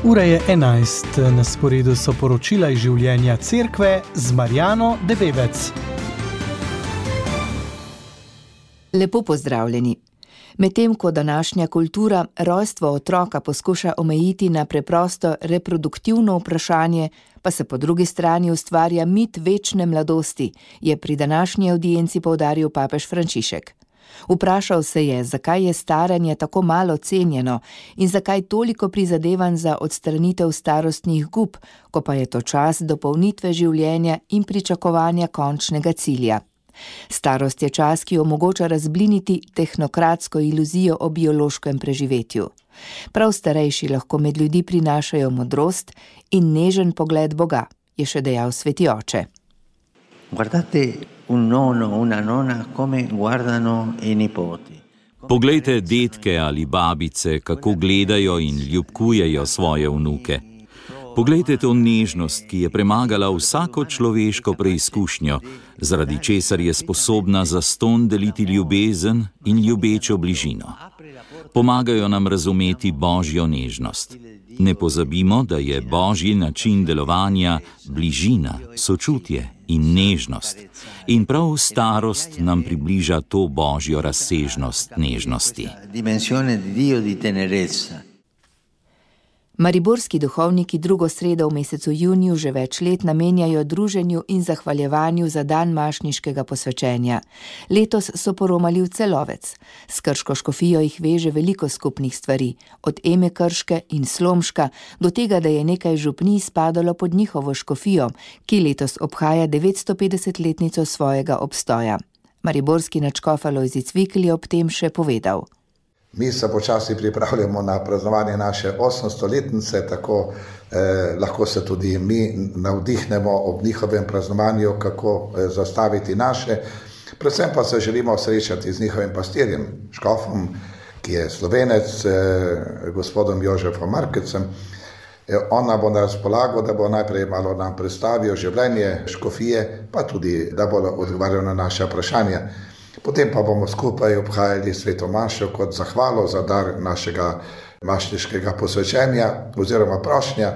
Ura je 11, na sporedu so poročila iz življenja cerkve z Marjano Debevec. Lepo pozdravljeni. Medtem ko današnja kultura rojstvo otroka poskuša omejiti na preprosto reproduktivno vprašanje, pa se po drugi strani ustvarja mit večne mladosti, je pri današnji avdienci poudaril papež Frančišek. Vprašal se je, zakaj je staranje tako malo cenjeno in zakaj toliko prizadevanj za odstranitev starostnih gub, ko pa je to čas dopolnitve življenja in pričakovanja končnega cilja. Starost je čas, ki omogoča razbliniti tehnokratsko iluzijo o biološkem preživetju. Prav starejši lahko med ljudi prinašajo modrost in nežen pogled Boga, je še dejal sveti oče. Guardate un nonno, una nonna come guardano i nipoti. Poglejte detke ali babice, kako gledajo in ljubkujejo svoje vnuke. Poglejte to nežnost, ki je premagala vsako človeško preizkušnjo, zaradi česar je sposobna zastonj deliti ljubezen in ljubečo bližino. Pomagajo nam razumeti Božjo nežnost. Ne pozabimo, da je Božji način delovanja bližina, sočutje in nežnost. In prav starost nam približa to Božjo razsežnost nežnosti. Mariborski duhovniki drugo sredo v mesecu juniju že več let namenjajo druženju in zahvaljevanju za dan mašniškega posvečenja. Letos so poromali v Celovec. S krško škofijo jih veže veliko skupnih stvari, od Eme Krške in Slomška do tega, da je nekaj župnij spadalo pod njihovo škofijo, ki letos obhaja 950-letnico svojega obstoja. Mariborski nadškof Alojzij Cvikl je ob tem še povedal. Mi se počasi pripravljamo na praznovanje naše 800-letnice, tako lahko se tudi mi navdihnemo ob njihovem praznovanju, kako zastaviti naše. Predvsem pa se želimo srečati z njihovim pastirjem, škofom, ki je Slovenec, gospodom Jožefom Markecem. On nam bo na razpolago, da bo najprej malo nam predstavil življenje škofije, pa tudi, da bo odgovarjal na naše vprašanja. Potem pa bomo skupaj obhajali sveto mašo kot zahvalo za dar našega mašniškega posvečenja oziroma prošnja,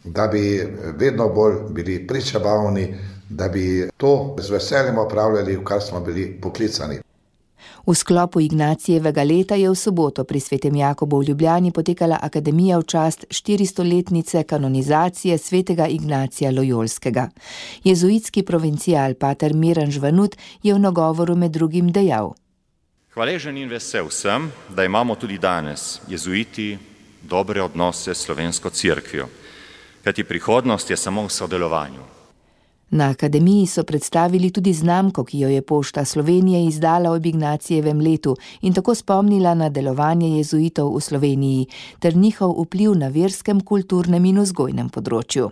da bi vedno bolj bili pričabavni, da bi to z veseljem opravljali, v kar smo bili poklicani. V sklopu Ignacijevega leta je v soboto pri svetem Jakobu v Ljubljani potekala akademija v čast 400-letnice kanonizacije svetega Ignacija Lojolskega. Jezuitski provincial pater Miran Žvanut je v nagovoru med drugim dejal. Hvaležen in vesel sem, da imamo tudi danes, jezuiti, dobre odnose s slovensko cerkvijo, kajti prihodnost je samo v sodelovanju. Na akademiji so predstavili tudi znamko, ki jo je Pošta Slovenije izdala ob Ignacijevem letu in tako spomnila na delovanje jezuitov v Sloveniji ter njihov vpliv na verskem, kulturnem in vzgojnem področju.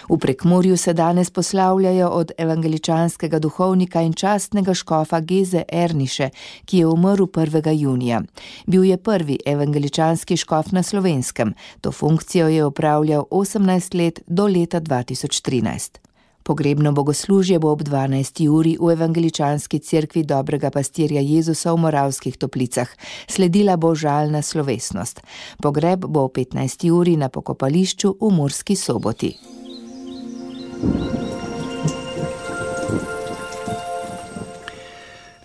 V Prekmurju se danes poslavljajo od evangeličanskega duhovnika in častnega škofa Geze Erniše, ki je umrl 1. junija. Bil je prvi evangeličanski škof na Slovenskem. To funkcijo je opravljal 18 let do leta 2013. Pogrebno bogoslužje bo ob 12. uri v evangeličanski cerkvi Dobrega pastirja Jezusa v Moravskih Toplicah. Sledila bo žalna slovesnost. Pogreb bo ob 15. uri na pokopališču v Murski Soboti.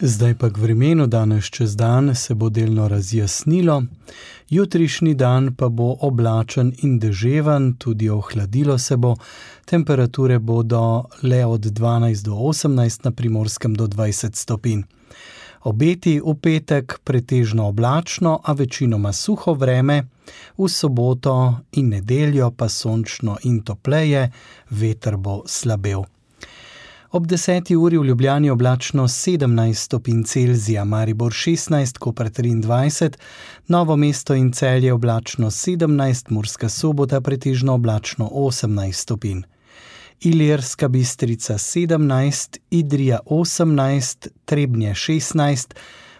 Zdaj pa k vremenu, danes čez dan se bo delno razjasnilo, jutrišnji dan pa bo oblačen in deževan, tudi ohladilo se bo, temperature bodo le od 12 do 18, na Primorskem do 20 stopinj. Obeti v petek pretežno oblačno, a večinoma suho vreme, v soboto in nedeljo pa sončno in topleje, veter bo slabel. Ob 10. uri v Ljubljani oblačno 17 stopinj Celzija, Maribor 16, Koper 23, Novo mesto in Celje oblačno 17, Murska Sobota pretežno oblačno 18 stopinj. Ilirska Bistrica 17, Idrija 18, Trebnje 16,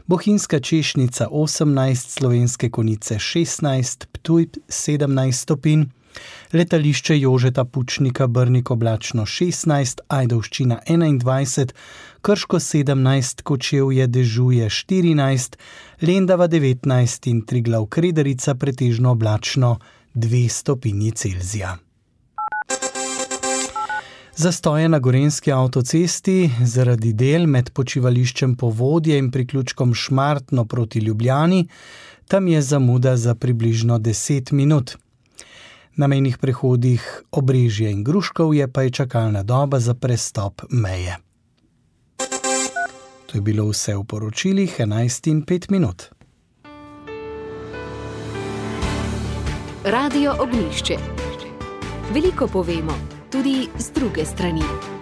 Bohinjska Češnica 18, Slovenske Konjice 16, Ptuj 17 stopinj, Letališče Jožeta Pučnika Brnik oblačno 16, Ajdovščina 21, Krško 17, Kočevje dežuje 14, Lendava 19 in Triglav Krederica pretežno oblačno 2 stopinji Celzija. Zastoje na gorenjski avtocesti zaradi del med počivališčem Povodje in priključkom Šmartno proti Ljubljani, tam je zamuda za približno 10 minut. Na mejnih prehodih Obrežje in Gruškovje pa je čakalna doba za prestop meje. To je bilo vse v poročilih 11:05. Radio Ognjišče. Veliko povemo, tudi z druge strani.